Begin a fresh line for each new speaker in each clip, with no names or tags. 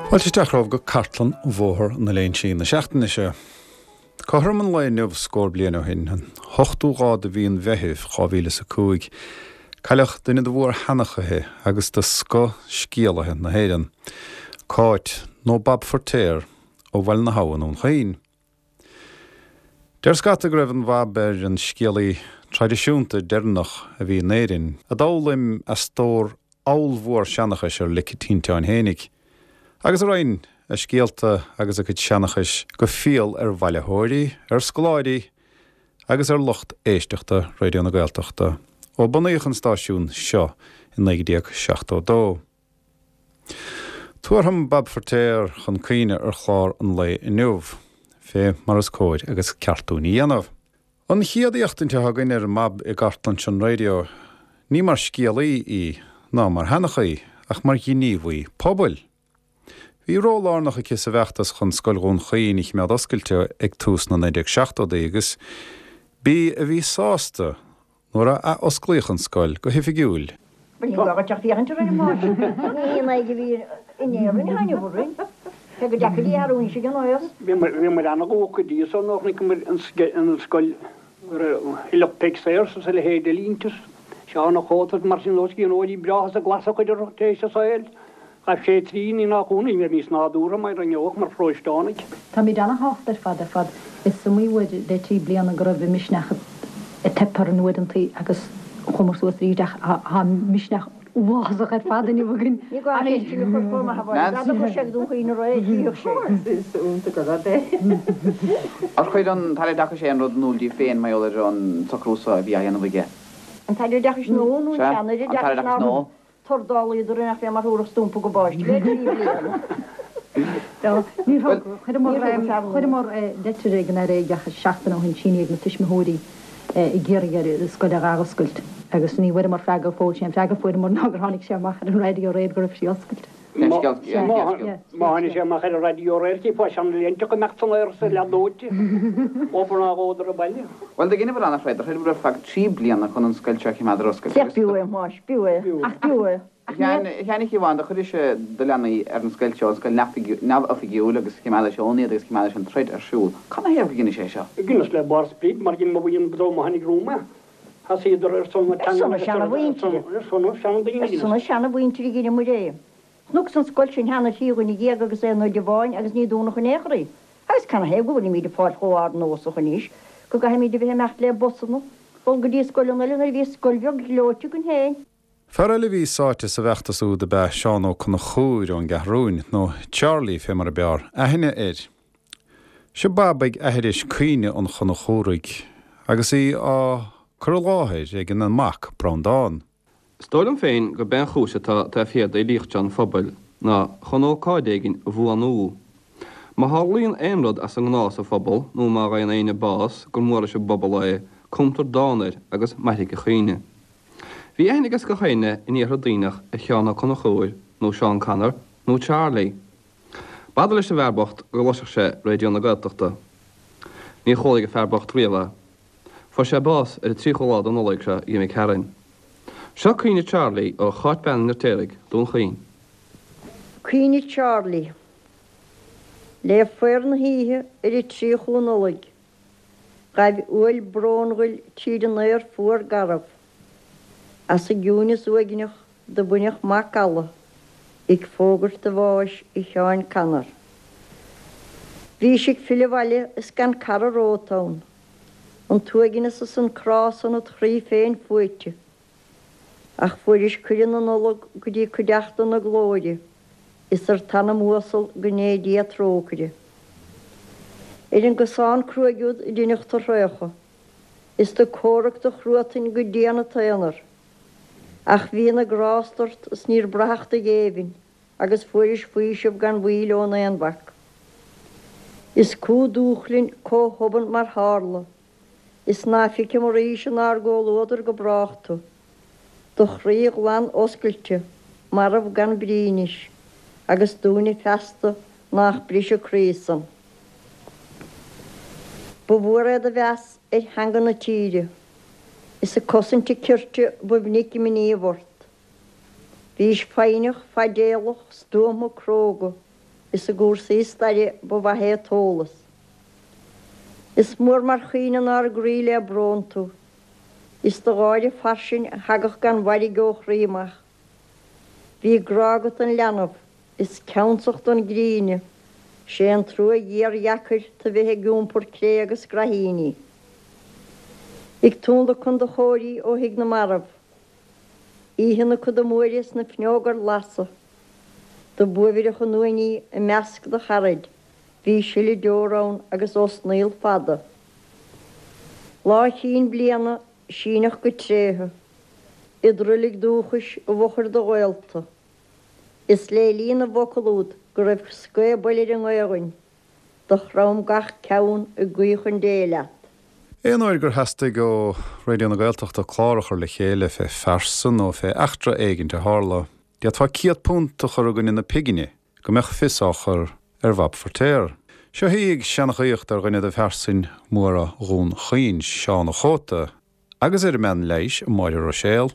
Fáilte isteach romhaibh go cartlann Bhóthar na Léinsí na seachtaine seo. Cothrom an lae inniu scór bliain ó shin, an t-ochtú lá de mhí an Mheithimh, 2005, cailleadh duine de mhór-sheanchaithe agus de scoth-scéalaithe na hÉireann, Cáit, nó Bab Feirtéar, ó Bhaile na hAbha i nDún Chaoin. Deir scata go raibh an Bhab ar an scéalaí traidisiúnta deireanach a bhí in Éirinn, a d'fhoghlaim a stór ollmhór seanchais ar lic a tinteáin fhéinig, agus a roinn a scéalta agus a cuid seanchais go fial ar bhailitheoirí, ar scoláirí agus ar lucht éisteachta Raidió na Gaeltachta ó bunaíodh an stáisiún seo i 1972. Tabharfam Bab Feirtéar chun cuimhne ar chlár an lae inniu, fé mar is cóir agus ceart dúinn a dhéanamh. An chéad éachtaint atá againn ar an mBab i gcartlann seo an raidió, ní mar scéalaí í, ná mar sheanchaí, ach mar ghníomhaí pobail. Bhí ról lárnach aici sa bhfeachtas chun Scoil Dhún Chaoin a chimeád oscailte ag tús na 1970idí agus b'í a bhí sásta Nuair a ath-osclaíodh an scoil go hoifigiúil.
Ní gá dhuit ach féachaint orainn, a pháiste. Ní haon aghaidh a bhí in Éirinn atá inniu orainn. Cé gur deacair í a athrú anois ag an aos.
Bhíomair ana-dhócha go dtí so nuair a chonaiceamair an scoil go raibh Lucht Peig Sayers is a leithéid de línte, Seán Ó Cóta is mar sin dó, scríbhneoirí breátha is a glas a chuid orthu tar éis a saoil. Ghabh sé trí ní nach ionadh, ní raibh níos nádúrtha mar a ngeobhadh mar pharóisteánaigh.
Táimid ana-shásta ar fad ar fad. Is iomaí uair le 3 bliana go raibh an misneach ag teip orainn uaireantaí agus chuamar suas arís ach tá misneach uafásach ar fad inniu againn.
Ní gá ceist sin a chur chomh maith a bhaile. Dá dtiocfadh sé go Dún Chaoin aréir, tchífeadh sé.
Is iontach an rud é.
Ar chuir an tAire Oideachais aon rud in iúl daoibh féin mar gheall ar an socrú so a bhí á dhéanamh aige?
An tAire Oideachais nua nó an
Sea,
sean-Aire
an tAire
Oideachais
Oideachais
nár
nua.
Tordálaíodar orainn ach bhí mar thabharfadh stumpa go bpáiste le 3 bliana.
Ní thug, chuireamar leitir ag an Aire Oideachais seachtain ó shin, sínithe ag na tuismitheoirí ag iarraidh air an scoil a athoscailt agus ní bhfuaireamar freagra fóill. Sé an freagra a fuaireamar ná gur tháinig sé amach ar an raidió aréir go raibh sí oscailte.
Má tháinig sé amach ar an raidió aréir chífeá seana-léinte ag imeacht san aer is ag leath dóite obair ná dhódar abhaile.
Bhuel, do dheineabhair ana-throid, do throideabhair ar feadh 3 bliana chun an scoil seo a chimeád ar oscailt
agus. B'fhiú é, a Thomáis, b'fhiú é, ach b'fhiú é.
A Sheáin, a Shiobhán, do chuiris-se do leanaí ar an scoil seo, an scoil neamhoifigiúil, agus chimeádais ann iad agus chimeádais an troid ar siúl. Cad 'na thaobh gur dheinis é seo?
Dheineas le barr sprid mar dhein mo bhuíon dream a tháinig romham é. Thosaíodar ar son na
Ar son na seana-mhuintire.
Ar son na seandaoine.
Ar son na seana-mhuintire a dheineamair é. Chonac an scoil sin cheana ar thrí dhuine dhéag agus aon oide amháin agus ní dúnadh in aon chor í. Agus canathaobh go bhfuilimíd ag fáil chomh ardnósach anois go gcaithfimíd a bheith ag imeacht le busanna, dul go dtí scoileanna eile nuair a bhí scoil bheag ghleoite againn féin.
Fear eile a bhí sáite sa bhfeachtas úd ab ea Seán Ó Conchúir ón gCeathrúin, nó Charlie fé mar a b'fhearr aithne air. Seo Bab ag aithris caoineadh an Chonchúraigh agus í á cur i láthair ag an mac Breandán.
Is dóigh liom féin gurb é an chúis atá taobh thiar d'fhilíocht seo an phobail ná chun ócáid éigin a bhuanú. Má tharlaíonn aon rud as an ngnáth sa phobal nó má fhaigheann éinne bás gur mór leis an bpobal é, cumtar dán air agus mairfidh a chuimhne. Bhí aithne ages gach éinne in Iarthar Duibhneach ar Sheán Ó Conchúir nó Seán Connor nó Charlie. B'fhada leis an bhfear bocht go gcloisfeadh sé Raidió na Gaeltachta. Níor chualaigh an fear bocht riamh é. Fuair sé bás ar an 30ú lá de Nollaig seo d'imigh tharainn. Seo Caoineadh Charlie ó Cháit Bean an Fheirtéaraigh, Dún Chaoin.
Caoineadh Charlie. Le faobhar na hoíche ar an 30ú Nollaig, ghaibh uaill brónghil tríd an aer fuar garbh. As an gciúineas uaigneach do baineadh macalla ag fógairt do bháis a Sheáin Connor. Bhís ag filleadh abhaile is gan cara romhat ann, an t-uaigneas is an crá san id chroí féin fuaite. Ach fuairis cuireadh na Nollag go dtí cuideachta na glóire is ar t'anam uasal go ndéa Dia trócaire. Ar an gcosán cruaidh úd a deineadh do thraochadh, is do comhrac do chruatan go dian id aonar. Ach bhí na grást ort is níor braitheadh do ghéibhinn agus fuairis faoiseamh gan mhoill ón aonmhac. Is cú dúchlainn comh thobann mar tharla, is ná feicim arís inár gcomhluadar go brách tú. Do chroí ghlan oscailte, marbh gan brí anois, agus dúinne feasta nách briseadh croí san. Ba mhór é do mheas ar theanga na tíre. Is ag cosaint a cirt ba mhinic i ngníomh ort. Bhís foighneach, fadéalach, stuama, cróga. Is i gcúrsaí staire ba mhaith é a t-eolas. Is mór mar chaoineann ár gcroí le brón tú. Is do gháire fairsing a thagadh gan mhairg ó chroí amach. Bhí grá agat don leanbh, is ceansacht don gcríne, 'sé an trua ghéar dheacair tu bheith ag iompar cré agus graithíní. Ag tionlacan do chóirí ó thigh na marbh. Oíche na coda móire is na fuinneoga ar lasadh. Do b'uaibhreach an uain í i measc do charaid, bhí sileadh deor ann agus osnaíl fada. Lá chinn bliana, síneach go tréithe, id roilig dúchais i bhfochair do ghaolta. Is lé linn na bhfocal úd go raibh scabaill ar an nGaodhainn, do chrom gach ceann ag guí chun Dé leat.
Aon uair gur theastaigh ó Raidió na Gaeltachta clár a chur le chéile fé phearsa nó fé eachtra éigint a tharla, d'fhéadfá £100 a chur i gcoinne na pighne go mbeadh fios á chur ar Bhab Feiritéar. Seo í ag seanchaíocht ar dhuine de phearsain mhóra Dhún Chaoin, Seán a' Chóta, agus ar an mbean leighis, Máire Ruiséal,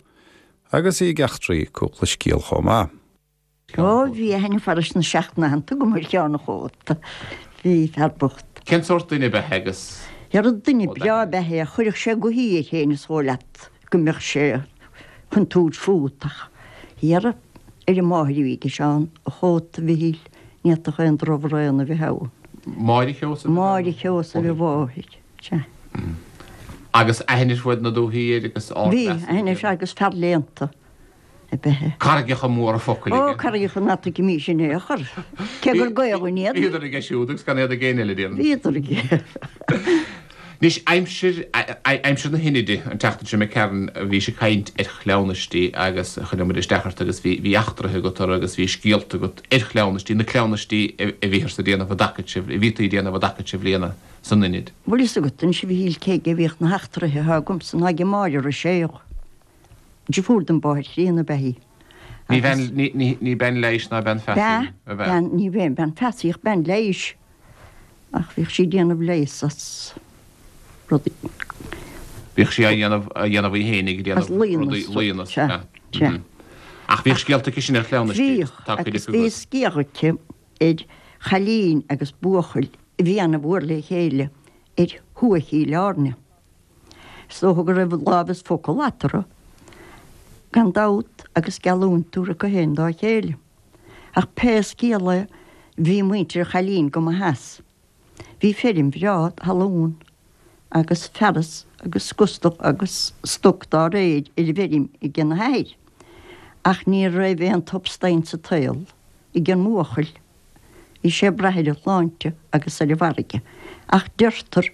agus í ag eachtraí cúpla scéal chomh maith.
Ó, bhí aithne farais na seacht n-aitheanta agam ar Sheán a' Chóta. Bhí, fear bocht.
Cén sórt duine ab ea é agus.
Dhera duine breá ab ea é, chuirfeadh sé gothaí air féin is dhóigh leat go mbeadh sé chun tabhairt fút ach dhera ar an máthair a bhí aige Seán a' Chóta Mhichíl, ní fhéadfadh aon drochbhraon a bheith ann.
Máire Sheosaimh
a Máire Sheosaimh a mháthair, sea.
Agus aithne ar fud na dúichí air agus
ardmheas Bhí, aithne air agus fear léannta. ab ea é.
Carraigeacha móra focail
aige. Ó, carraigeacha ná tuigimís in aon chor, cé gur Gaoluinn iad.
Bhíodar aige siúd agus gan iad ag éinne eile, déarfainn.
Bhíodar aige.
Anois, aimsir, aimsir na hInide, an tseachtain seo imigh tharainn, bhís ag caint ar chleamhnaistí agus choinnigh muid isteach ort agus bhí, bhí eachtraithe agat orthu agus bhí scéalta agat ar chleamhnaistí, na cleamhnaistí a bhíothas a déanamh i dtaca a bhítí a déanamh i dtaca sa bhliana san Inid.
Bhfuil fhios agat anois a Mhichíl cé aige a bhíodh na heachtraithe atá agamsa ná age Máire Ruiséal. Deirfiúr den mháthair chríonna ab ea í.
Ní bean, ní bean leighis ná bean feasaí
ab ea? Bean, ní bhean, bean feasaí ach bean leighis. Ach bhíodh sí ag déanamh leigheas as rudaí.
Bhíodh sí á dhéanamh, á dhéanamh í fhéinig, ag déanamh rudaí, laíonna, sea. Sea. Ach bhíodh scéalta aici sin ar chleamhnaistí.
Bhíodh, agus bhí scéal aici ar chailín agus buachaill a bhí ana-mhór le chéile ar thuath Chill Airne. Is dócha go raibh lámh is focal eatarthu, gan dabht, agus geallúint tabhartha acu féin dá chéile. Ach pé scéal é, bhí muintir an chailín go maith as. Bhí feirm bhreá talún agus fearas agus gustal agus stoc dá réir ar an bhfeirm ag an athair. Ach ní raibh aon tubstaint sa tsaol ag an mbuachaill. Bhí sé ag brath ar a shláinte agus ar an bhfarraige, ach deirtear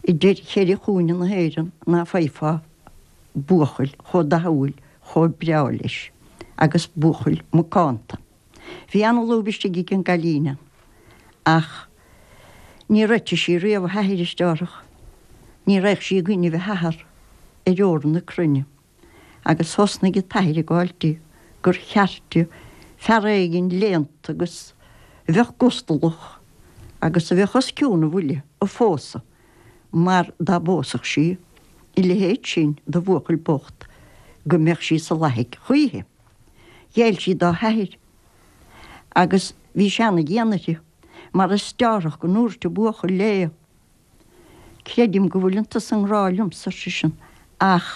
idir cheithre chúinne na hÉireann ná faighfeá buachaill chomh dathúil, chomh breá leis, agus buachaill macánta. Bhí ana-lúb istigh ag an gcailín ann, ach níor eitigh sí riamh a hathair is déarfadh. Ní raghadh sí i gcoinnibh a hathar ar ór na cruinne. agus thosnaigh an t-athair ag fáilt di gur cheart di fear éigin léannta agus a bheadh gustalach agus a bheadh os cionn a bhuille a phósadh mar dá bpósfadh sí a leithéid sin de bhuachaill bocht go mbeadh sí sa lathaigh choíche. Ghéill sí dá hathair agus bhí sé ana-dhian uirthi mar is deárthach go ndúirt an buachaill léi Creidim go bhfuileann tusa i ngrá liomsa, ar seisean, ach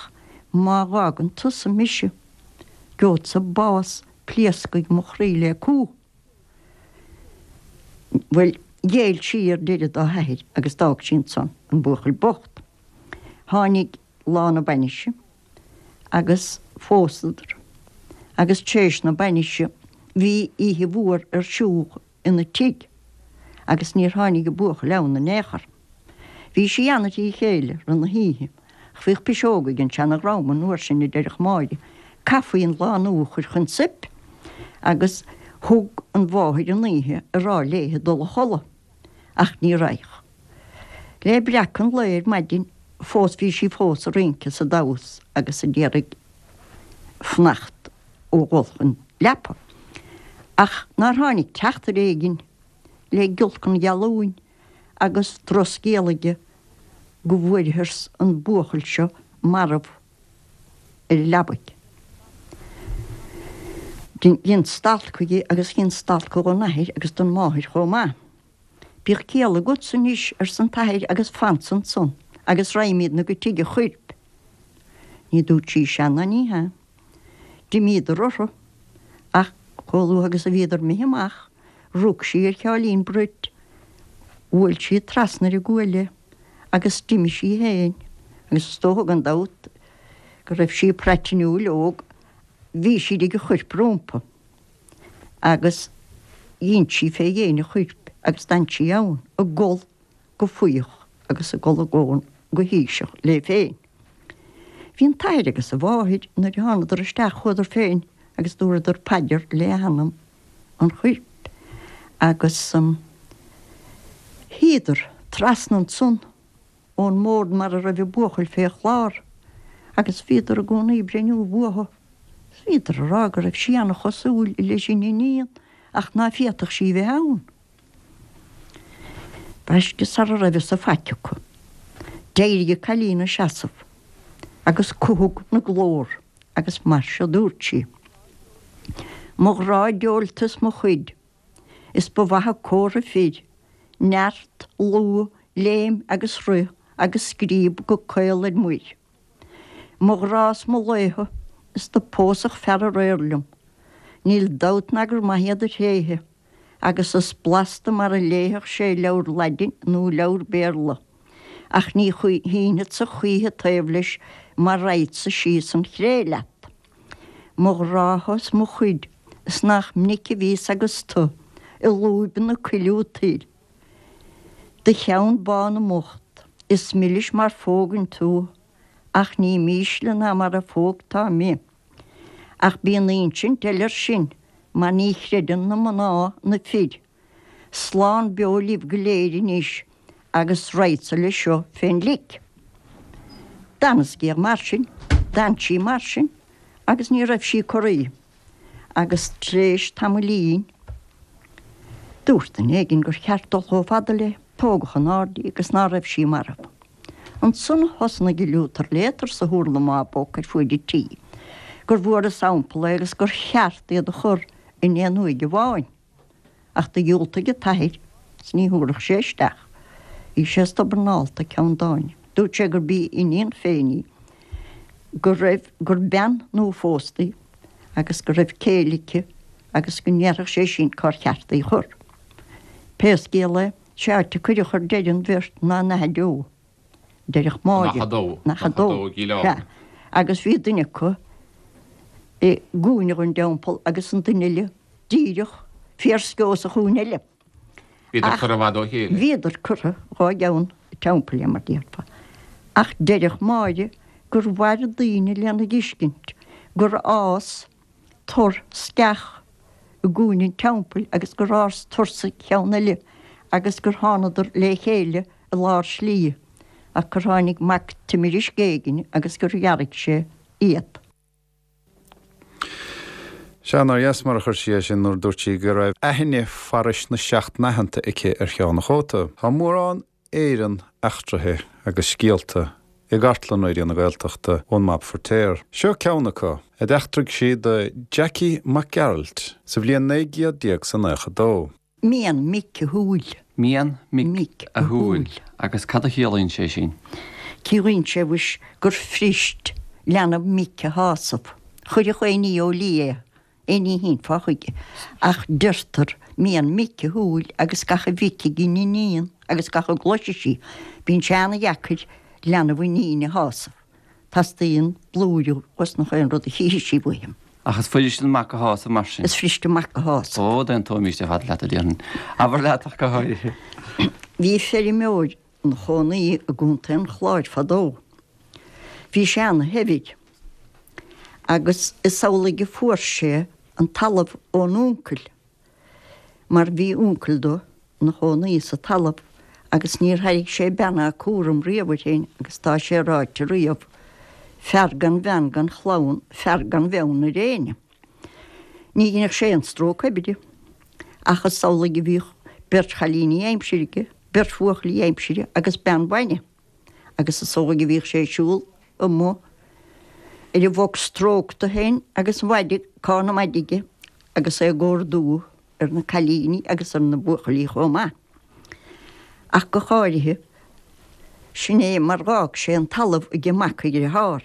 má dh'fhágann tusa mise, gheobhadsa bás, pléascfaidh mo chroí le cumha. Bhuel, ghéill sí ar deireadh dá hathair agus d'fhág sí ansan an buachaill bocht. Tháinig lá na bainise agus phósadar agus tar éis na bainise bhí oíche mhór ar siúl ina tigh agus níor tháinig an buachaill ann in aon chor. Bhí sí ana-thrí chéile rith na hoíche ach bhíodh piseóga ag an seana-dhream an uair sin a deireadh Máire, caithfí an lánúin a chur chun soip agus thug an mháthair an oíche ag rá léithe dul a chodladh ach ní raghadh. Le breacadh an lae ar maidin fós bhí sí fós ag rince is ag damhas agus ag iarraidh fanacht ó dhul chun leapa. Ach nár tháinig teachtaire éigin le giolc an gheallúin agus drochscéal aige go bhfuarthas an buachaill seo marbh ar a leabaidh. Dhein stailc chuige agus dhein stailc dhon athair agus don mháthair chomh maith. Bíodh ciall agatsa anois, arsa an t-athair, agus fansa ansan agus raghaimídne go tigh a choirp. Ní dúirt sí sea ná ní hea. D'imíodar orthu, ach chomh luath agus a bhíodar imithe amach, rug sí ar Sheáilín Bruit, bhuail sí trasna ar a guaille agus d'imigh sí féin, agus is dócha gan dabht go raibh sí praitiniúil óg, bhí sí ag an choirp rómpa agus dhein sí fé dhéin an choirp agus d'fhan sí ann ag gol go fuíoch agus ag gol i gcónaí go híseach léi féin. Bhí an t-athair agus an mháthair nuair a thánadar isteach chuadar féin agus dúradar paidir le hanam an choirp agus shuíodar trasna ansan ón mbord mar a raibh an buachaill fé chlár agus bhíodar i gcónaí ag breithniú uathu. Bhíodar ag rá go raibh sí ana-chosúil leis an iníon ach ná féadfadh sí bheith ann. Baiste sara raibh fhios ag faic acu. D'éirigh an cailín 'na seasamh agus cuthag 'na glór agus mar seo dúirt sí, Mo ghrá diabhalta is mo chuid, Is ba mhaith an comhartha fir, neart, lúth, léim agus rith agus scríob go caol ar muir. Mo ghrá is mo laetha is do pósfadh fear aréir liom. Níl dabht ná gur maith iad a thréithe, agus is blasta mar a léifeadh sé leabhar Laidin nó leabhar Béarla, ach ní shínfeadsa choíche taobh leis mar raghadsa síos an chré leat. Mo ghrádha is mo chuid, is nach minic a bhíos agus tu i lúib na coilleadh toir. Do cheann bán i m'ucht, is milis mar phógainn tú, ach ní mísle ná mar a phógtá mé. Ach bíonn insint eile ar sin, mar ní chreideann na mná na fir. Slán beo libh go léir anois agus raghadsa leis seo fén lic. D'fhan an scéal mar sin, d'fhan sí mar sin agus ní raibh sí corraithe. Agus tar éis tamaillín, dúirt duine éigin gur cheart dul chomh fada léi, tógadh in airde í agus ná raibh sí marbh. Ansan thosnaigh an liútar léatar sa hurla má bóc ar fuaid an tí, gur bhfuarthas ampall é agus gur cheart iad a chur in aon uaigh amháin. Ach do dhiúltaigh an t-athair 's ní thabharfadh sé isteach. Bhí sé stobbarnálta ceann domhain. Dúirt sé gurb í a iníon féin í, go raibh, gur bean nua-phósta í agus go raibh céile aici agus go ndéarfadh sé sin cár cheart í a chur. Pé scéal é, sé áit a cuireadh ar deireadh an bheirt ná in Achadh Deo. Deireadh Máire.
In Achadh Dó.
In Achadh Dó, sea. Agus bhí duine acu i gcúinne den dteampall agus an duine eile díreach fíorsceo sa chúinne eile.
Bhíodar curtha i bhfad ó chéile.
Bhíodar curtha dhá gceann an teampaill, mar déarfá. Ach deireadh Máire gur mhair daoine lena dtuiscint gur fhás tor sceach i gcúinne an teampaill agus gur fhás tor sa cheann eile agus gur thánadar lé chéile i lár slí ach gur tháinig mac timirisc éigin agus gur ghearraigh sé iad.
Sea, nár dheas mar a chuir sí é sin nuair a dúirt sí go raibh aithne farais na seacht n-aitheanta aici ar Sheán a' Chóta. Tá mórán Éireann eachtraithe agus scéalta i gcartlann Raidió na Gaeltachta ón mBab Feirtéar. Seo ceann acu, a d'eachtraigh sí do Jackie Mac Gearailt sa bhliain 1992.
Mian mic a shúil.
Mian mic a shúil. Agus cad a chiallaíonn sé sin?
Ciallaíonn sé, mhuis, gur fuirist leanbh mic a shásamh. Chuirfeadh aon ní ó liath é. Aon ní a shínfeá chuige. Ach deirtear, mian mic a shúil agus gach a bhfeicfidh an iníon agus gach a gcloisfidh sí, bíonn sé ana-dheacair leanbh iníne a shásamh. Teastaíonn blúire osnach aon rud a chífidh sí uaithe.
Ach is fuirist an mac a shásamh mar sin.
Is fuirist an mac a shásamh.
Ó, d'aontóimíst ar fad leat, a déarfainn. Abair leat ach go háirithe.
Bhí feirmeoir ina chónaí i gContae an Chláir fadó. Bhí sé ana-shaibhir agus is amhlaidh a fuair sé an talamh ón uncail mar bhí uncail dó ina chónaí sa talamh agus níor thairg sé bean ná cúram riamh air féin agus tá sé ráite riamh, fear gan bhean gan chlann, fear gan bheann ar éinne. Ní dheineadh sé aon stróc oibre ach is amhlaidh a bhíodh beirt chailíní aimsire aige, beirt bhuachaillí aimsire agus bean bainne agus is amhlaidh a bhíodh sé ag siúl amuigh ar an bhoc strócta féin agus an mhaide, cán na maide aige. agus é ag órdú ar na cailíní agus ar na buachaillí chomh maith. Ach go háirithe, sin é mar dh'fhág sé an talamh ag mac a dhritheár.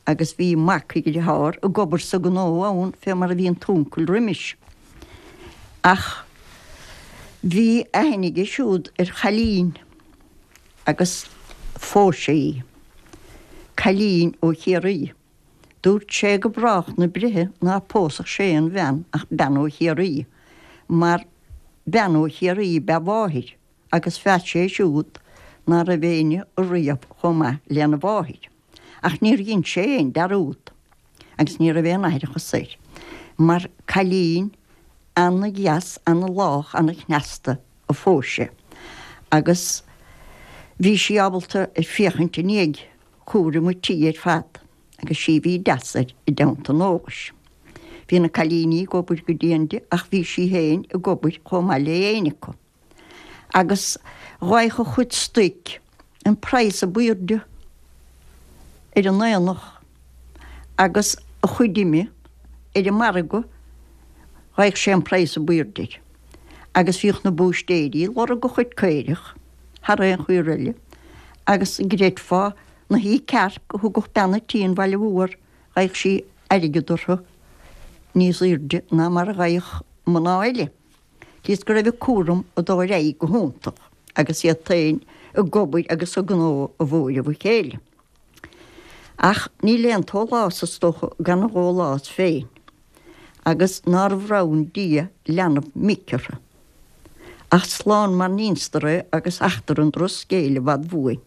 Agus bhí mac a dhritheár ag obair sa ghnó ann fé mar a bhí an t-uncail roimis. Ach bhí aithne aige siúd ar chailín agus phós sé í. Cailín ó Chiarraí. Dúirt sé go brách na breithe ná pósfadh sé aon bhean ach bean ó Chiarraí, mar bean ó Chiarraí ab ea a mháthair agus mheas sé siúd ná raibh éinne ariamh chomh maith lena mháthair. Ach níor dhein sé aon dearúd agus ní raibh aon aithreachas air, mar cailín ana-dheas, ana-lách, ana-chneasta a phós sé agus bhí sí ábalta ar féachaint i ndiaidh chúram an tí ar fad agus sí a bhí deas air i dteannta an eolais. Bhí na cailíní ag obair go dian di ach bhí sí féin ag obair chomh maith le éinne acu. Agus dh'fhaigheadh a chuid stoic an praghas ab aoirde ar an aonach agus a chuid ime ar an margadh dh'fhaigheadh sé an praghas ab aoirde air. Agus bhíodh na búistéirí ag lorg a chuid caorach. thar aon chaor eile, agus an gcreidfeá na haoi cearc a thugadh bean a' tí an Bhaile Mhór, gheibheadh sí airgead orthu níos aoirde ná mar a gheibheadh mná eile. Cíos go raibh a cúram ag dul ar aghaidh go hiontach agus iad féin ag obair agus ag gnó a bhuaireamh a chéile. Ach níl aon tsólás is dócha gan a dhólás féin, agus nár bhronn Dia leanbh mic orthu. Ach slán mar n-ínstar é agus eachtra an drochscéil i bhfad bhuain,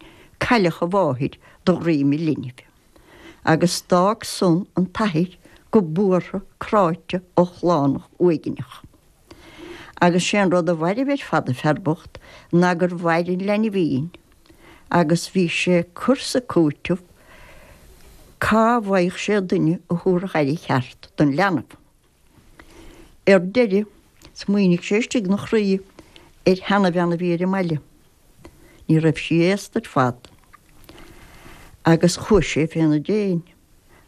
cailleadh a mháthair de dhroim a linbh. Agus d'fhág san an t-athair go buartha cráite ochlánach uaigneach. Agus sé an rud a mhairbh ar fad an fear bocht ná gur mhair an leanbhín agus bhí sé ag cur 's ag cúiteamh cá bhfaigheadh sé duine a thabharfadh aire cheart don leanbh. Ar deireadh, smaoinigh sé istigh 'na chroí ar sheanabhean a bhí ar an mbaile. Ní raibh sí aosta ar fad. Agus chuaigh sé féna déin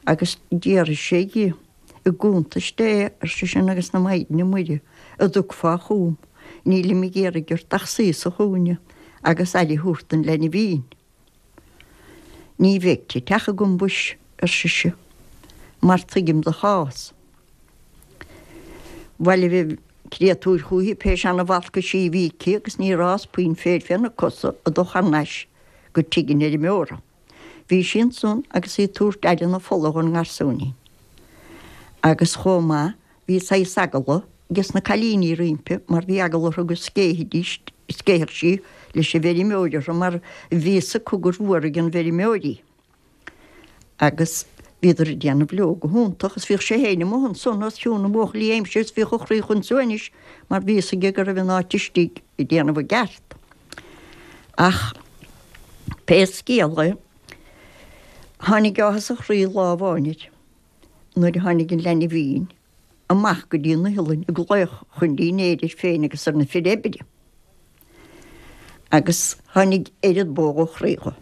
agus d'fhiafraigh sé dhi, I gcuntais Dé, ar seisean, agus na Maighdine Muire, a dtiocfá chugam, nílim ag iarraidh ort ach suí sa chúinne agus aire a thabhairt don leinbhín. Ní bheidh teach agam mhuis, ar sise, mar tuigim do chás. Bhailigh an créatúr chúithi pé seana-bhalcaisí a bhí aici agus níor fhás puinn féir féna cosa ag dul thar n-ais go tigh an fheirmeora. Bhí sí ansan agus í ag tabhairt aire na fola dhon ngarsúinín. Agus chomh maith Bhí saghas eagla ages na cailíní roimpi mar bhí eagla orthu go scéithfidís, scéithfeadh sí leis an bhfeirmeoir orthu mar bhí fhios acu gur bhuarfaidh an bhfeirmeoir í. Agus bhíodar ag déanamh leo go hiontach agus bhíodh sé féin amuigh ansan os cionn na mbuachaillí aimsire is bhíodh a chroí chun suaimhnis mar bhí fhios aige go raibh an áit istigh ag déanamh a gceart. Ach pé scéal é, tháinig áthas a chroí lá amháin air. Nuair a tháinig an leinbhín amach go dtí an iothlainn ag glaoch chun dinnéir air féin agus ar na fir oibre, agus tháinig oiread bó dha chroí dho.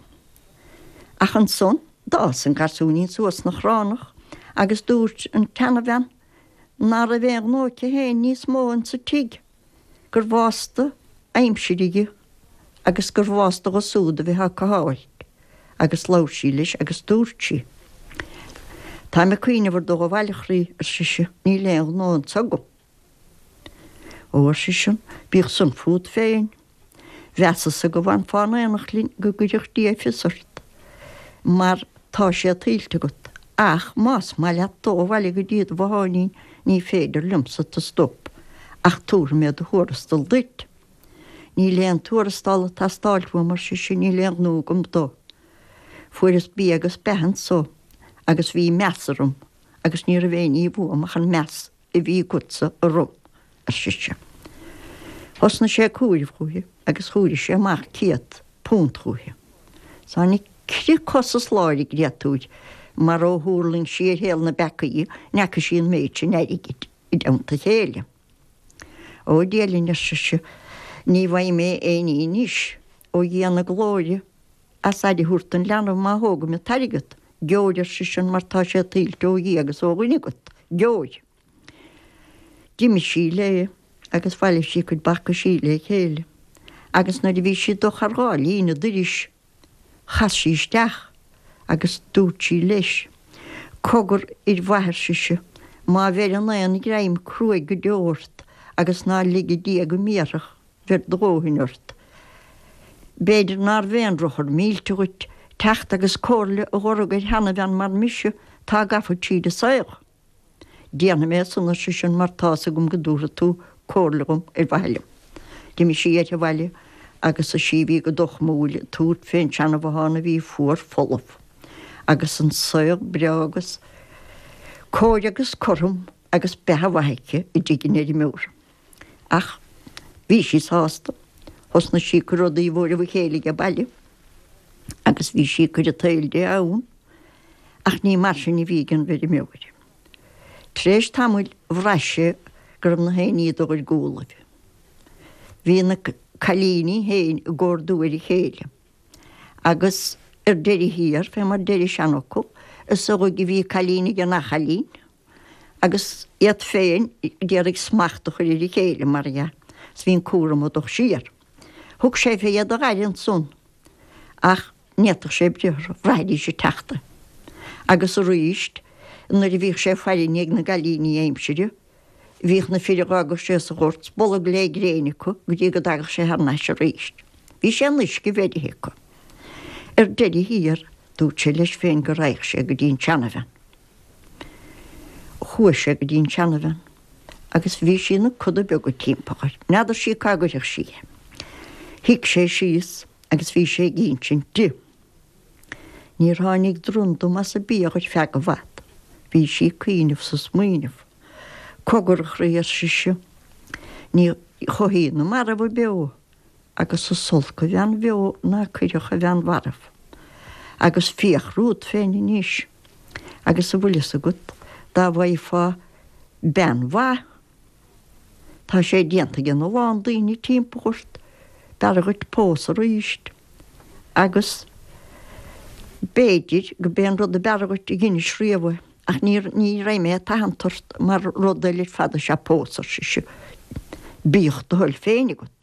Ach ansan d'fhás an garsúinín suas 'na chránach agus dúirt an tseanabhean ná raibh aon ghnó aici féin níos mó insa tigh, gur bhásta aimsir dhi agus gur bhásta dho súd a bheith á cothabháil agus labhair sí leis agus dúirt sí, Táim ag cuimhneamh ar dul abhaile, a chroí, ar sise, níl aon ghnó anso agam. Ó, ar seisean, bíodh san fút féin. Mheasas-sa go bhfanfá in aonacht linn go gcuirfeadh Dia fios ort, mar tá sé tuillte agat, ach más maith leat dul abhaile go dtí do bhotháinín ní féidir liomsa tu stop, ach tabharfaidh mé do thuarastal duit. Níl aon tuarastal ag teastáilt uaim, ar sise, níl aon ghnó agam dó. Fuaireas bia agus beatha anso agus bhí meas orm agus ní raibh aon ní uaim ach an meas a bhí agatsa orm, ar sise. Thosnaigh sé ag comhaireamh chúithi agus chomhair sé amach £100 chúithi. Tháinig crith cos is lámh ar an gcréatúir mar ó thuirling sí ar shaol na bpeacaí ní fhaca sí an méid sin airgid i dteannta a chéile. Ó, a Dhia linn, ar sise, ní bhfaighidh mé aon ní anois ó Dhia na glóire as aire a thabhairt don leanbh má thógaim an t-airgead. Gheobhair, ar seisean, mar tá sé tuillte ó Dhia agus ó dhuine agat. Gheobhair. D'imigh sí léi agus bhailigh sí a cuid balcaisí le chéile agus nuair a bhí sí ag dul thar dhá líne doiris chas sí isteach agus dúirt sí leis, Cogar fhir mhaith, ar sise, má bheireann aon ghreim cruaidh go deo ort agus ná lige Dia go mbéarfadh, bheir do dhóthain ort. B'fhéidir nárbh aon drochar millte dhuit teacht agus comhairle a dh'org ar sheanabhean mar mise tá gafa tríd an saol. Déanfaidh mé san, ar seisean, mar tá's agam go dtabharfaidh tú comhairle dhom ar mhaithe liom. D'imigh sí uirthi abhaile agus is í a bhí go dochmúil ag tabhairt fén seanabhothán a bhí fuar folamh. Agus an saol breá agus cóir agus cothrom agus beatha mhaith aici i dtigh an fheirmeora. Ach bhí sí sásta. Thosnaigh sí ag cur rudaí i bhfóireamh a chéile age baile agus bhí sí ag cur an tsaoil di ann. Ach ní mar sin a bhí ag an bhfeirmeoir. Tar éis tamaill bhraith sé go raibh na haon ní ag dul ar gcúlaibh. Bhí na cailíní féin ag ordú ar a chéile. Agus ar deireadh thiar, fé mar deir an seanfhocal, is amhlaidh a bhí cailín ag an athchailín. Agus iad féin d'iarraidh smacht a chur ar a chéile, mar dhea, 's bhí an cúram ag dul siar. Thug sé fé iad a dh'aire ansan, ach ní fhéadfadh sé breith orthu, bhraithidís ag teacht é. Agus aríst, nuair a bhíodh sé ag faire i ndiaidh na gcailíní aimsire, bhíodh na fir a dh'fhágadh sé sa ghort 's bolg lé gréin acu go dtí go dtagadh sé thar n-ais aríst. Bhí sé in uisce bheirthe acu. Ar deireadh thiar, dúirt sé leis féin go raghadh sé go dtí an tseanabhean. Chuaigh sé go dtí an tseanabhean agus bhí sí ina coda beaga timpeall air. N'fheadar sí cá gcuirfeadh sí é. Shuigh sé síos agus bhí sé ag insint di. Níor tháinig dronn dom as an bia ar feadh i bhfad. Bhí sí ag cuimhneamh 's ag smaoineamh. Cogar, a chroí, ar sise, ní chothaíonn na mairbh beo. agus is olc an bhean bheo ná cuirfeadh an bhean mharbh. Agus féach romhat féin anois, agus an bhfuil fhios agat, dá bhfaighfeá bean mhaith, tá sé déanta ag a lán daoine timpeall ort, b'fhearra dhuit pósadh arís, agus b'fhéidir go b'é an rud a b'fhearra dhuit a dheinis riamh é, ach ní, ní raibh mé ag tathant ort mar rud eile ar fad is ea pósadh, ar sise. Bíodh do thoil féin agat.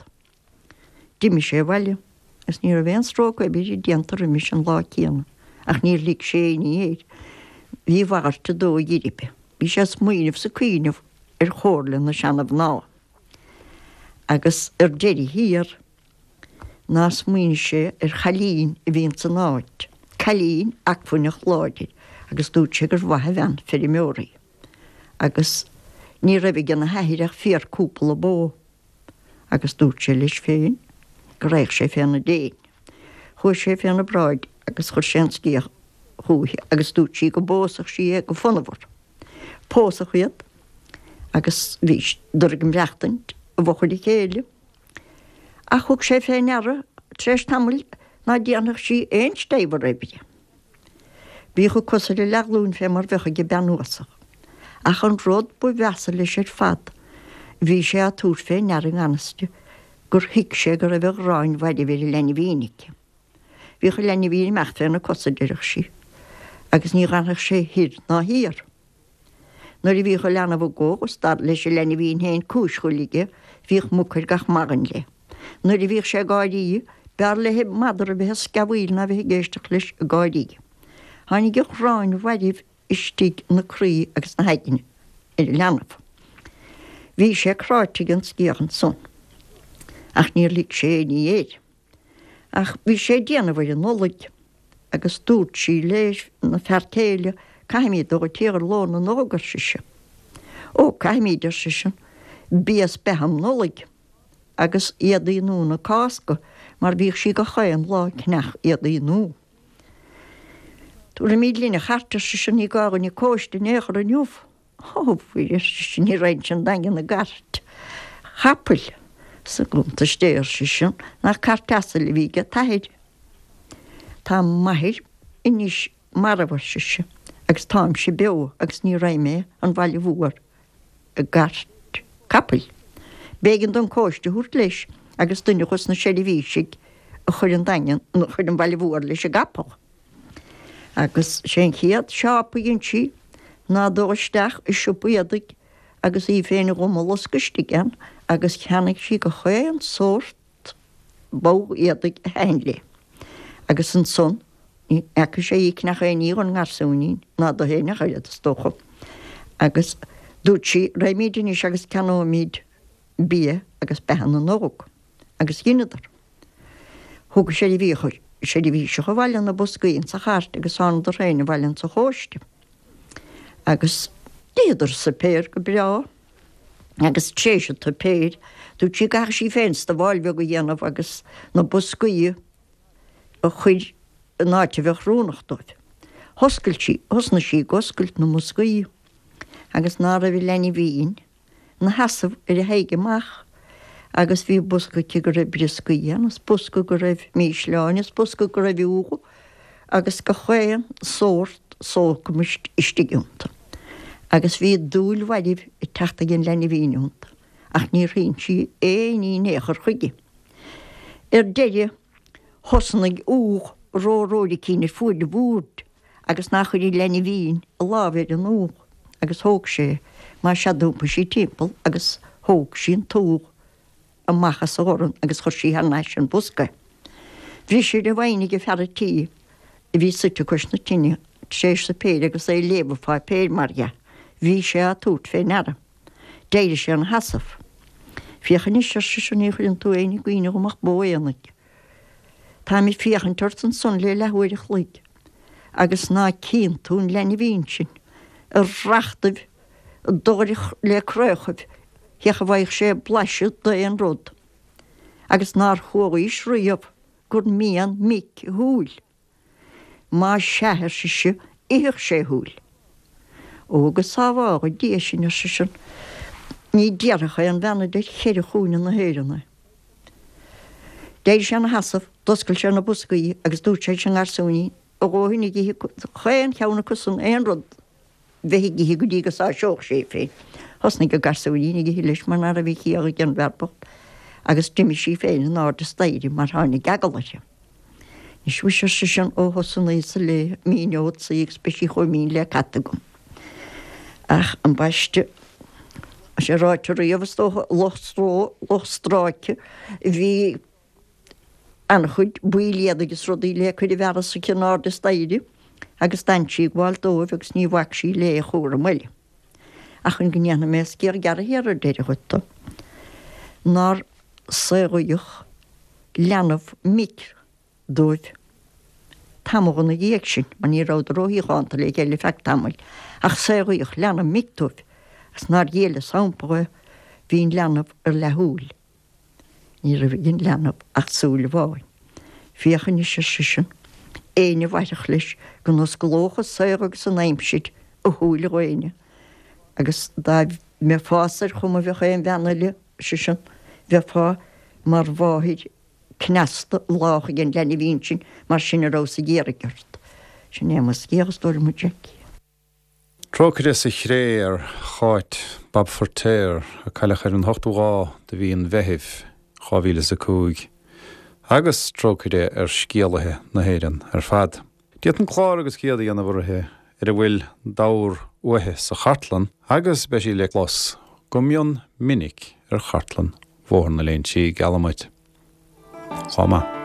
D'imigh sé abhaile agus ní raibh aon stróc oibre déanta roimis an lá céanna, ach níor lig sé aon ní air. Bhí a mhalairt de dóigh ar bith. Bhí sé ag smaoineamh 's ag cuimhneamh ar chomhairle na seana-mhná. Agus ar deireadh thiar, ná smaoinigh sé ar chailín a bhí ins an áit, cailín acmhainneach láidir, agus dúirt sé gur mhaith an bhean feirmeora í. Agus ní raibh ag an athair ach féar cúpla bó, agus dúirt sé leis féin go raghadh sé féna déin. Chuaigh sé féna bráid agus chuir sé an scéal chúichi agus dúirt sí go bpósfadh sí é go fonnmhar. Pósadh iad agus bhíodar ag maireachtaint i bhfochair a chéile. Ach thug sé fé ndeara tar éis tamaill ná déanfadh sí aon steillbhar oibre. Bhíodh a cosa ar a leathghlúin fé mar bheadh ag bean uasal. Ach an rud ba mheasa leis ar fad, bhí sé á tabhairt fé ndeara i ngan fhios di gur thuig sé go raibh an ghráin mhairbh ar an leinbhín aici. Bhíodh an leinbhín ag imeacht féna cosa, deireadh sí, agus ní dh'fhanfadh sé thoir ná thiar. Nuair a bhíodh an leanbh ag gol, is dar leis an leinbhín féin cúis ghoil aige, bhíodh muc ar gach maidin léi. Nuair a bhíodh sé ag gáirí, b'fhearr léi madra a bheith ag sceamhaíl ná bheith ag éisteacht leis ag gáirí. Tháinig an ghráin mhairbh istigh 'na croí agus 'na haigne ar an leanbh. Bhí sé cráite ag an sciath ansan, ach níor lig sé aon ní air. Ach bhí sé ag déanamh ar an Nollaig agus dúirt sí leis na fear céile, Caithfimid dul go tír ar ló na Nollag, ar sise. Ó, caithfimid, ar seisean, bia is beatha um Nollaig agus éadaí nua na Cásca mar bhíodh sí gach aon lá ag ceannach éadaí nua. Tabharfaimid linn an chairt, ar seisean, ní gá dhuinn an cóiste in aon chor inniu. Ó, a Mhuire, ar sise, ní raghainnse 'on Daingean i gcairt chapaill. Sa gcuntas Dé, ar seisean, nach cairt asail a bhí age t'athair. Tá m'athair anois marbh, ar sise, agus táimse beo agus ní raghaidh mé 'on bhaile mhór i gcairt capaill. B'éigean dó an cóiste a thabhairt leis agus duine dhos na seirbhísigh a chuir 'on Daingean, a chuir 'on bhaile mhór leis an gcapall. Agus sé an chéad siopa a dhein sí ná dul isteach i siopa éadaigh. agus í féin dhá loscadh istigh ann agus cheannaigh sí gach aon sórt bogha éadaigh a thaitin léi. Agus ansan ní fhaca sé í ag ceannach aon ní dhon ngarsúinín ná di féin ach oiread, is dócha. Agus dúirt sí, Raghaimíd anois agus ceannóimíd bia agus beatha na n-óg. Agus dheineadar. Thug an seirbhíseach abhaile na boscaí insa chairt agus thánadar féin abhaile insa chóiste. Agus d'itheadar suipéar go breá agus tréis an tsuipéir dúirt sí go gcaithfeadh sí féin stabháil bheag a dhéanamh agus na boscaí a chur in áit a bheadh oiriúnach dóibh. Thoscail sí, thosnaigh sí ag oscailt na mboscaí agus ná raibh an leanbhín 'na sheasamh ar a haghaidh amach agus bhí bosca aici go raibh brioscaí ann is bosca go raibh mísleáin is bosca go raibh úlla agus gach aon sórt sócamais istigh iontu. Agus bhí dúil mhairbh ag teacht ag an leanbhín iontu ach níor shín sí aon ní in aon chor chuige. Ar deireadh thosnaigh ubh ró-róiricín ar fuaid an bhoird agus nár chuir an leanbhín a lámh ar an ubh agus thóg sé, mar sea d'iompaigh sí timpeall agus thóg sí an t-ubh amach as a dhorn agus chuir sí thar n-ais an bosca é. Bhris ar a mhaighne ag fear a' tí a bhí suite cois na tine tar éis suipéir agus é ag léamh an pháipéir, mar dhea. Bhí sé á tabhairt fé ndeara. D'éirigh sé ina sheasamh. Féach anois, ar seisean, ní chuireann tú éinne i gcuimhne dhom ach bó aonaigh. Táim ag féachaint ort ansan le leathuair a chloig agus ná cíonn tú an leanbhín sin ag rachtaibh dobhair le craochaibh féach an bhfaigheadh sé blaiseadh d'aon rud agus nár chualaís riamh gur mian mic a shúil. Más sea, ar sise, itheadh sé a shúil. Ó, go sábhála Dia sinn, ar seisean, ní déarfadh aon bhean idir cheithre chúinne na hÉireann é. D'éirigh sé ina sheasamh, d'oscail sé na boscaí agus dúirt sé leis an ngarsúinín, a dhóthain ag ithe chaon cheann acusan aon rud bheith ag ithe go dtí go sáiseodh sé é féin. Thosnaigh an garsúinín ag ithe leis mar ná raibh a chiall ag an bhfear bocht agus d'imigh sí féin in airde staighre mar tháinig eagal uirthi. Anois mhuise, ar seisean, ó thosnaíos ag léamh, míneodsa í agus beidh sí chomh mín le cat agam. Ach ambaiste, tá sé ráite riamh, is dócha, lucht stró, lucht stráice, bhí an-chuid baill éadaigh is rudaí le cur i bhfearas aici in airde staighre agus d'fhan sí ag gabháil dóibh agus ní bhac sí le aon chúram eile. Ach chun go ndéanfaidh mé scéal gearr thiar ar deireadh dhuit, nár saolaíodh leanbh mic dóibh tamall ina dhiaidh sin, mar ní rabhadar róshíochánta le chéile ar feadh tamaill, ach saolaíodh leanbh mic dóibh agus nár ghéill a sampla é, bhí an leanbh ar leathshúil. Ní raibh ag an leanbh ach súil amháin. Féach anois, ar seisean, éinne a mhairfeadh leis go n-osclódh an saol agus an aimsir a shúile dh'éinne, agus dá mbeifeása ar chuma a bheadh aon bhean eile, ar seisean, bheifeá mar mháthair cneasta lách ag an leanbhín sin, mar sin a rabhas ag iarraidh ort. Sin é mo scéal, a stór, mo Jackie.
Trócaire sa Chré ar Cháit Bab Feirtéar a cailleadh ar an ochtú lá de mhí an Mheithimh, 2005, agus trócaire ar scéalaithe na hÉireann ar fad. D'fhéadfainn clár agus céad a dhéanamh uirthi ar a bhfuil d'ábhar uaithi sa chartlann agus beidh sí le clos go mion minic ar chartlann Bhóthar na Léinsí, geallaim dhuit. Lá maith.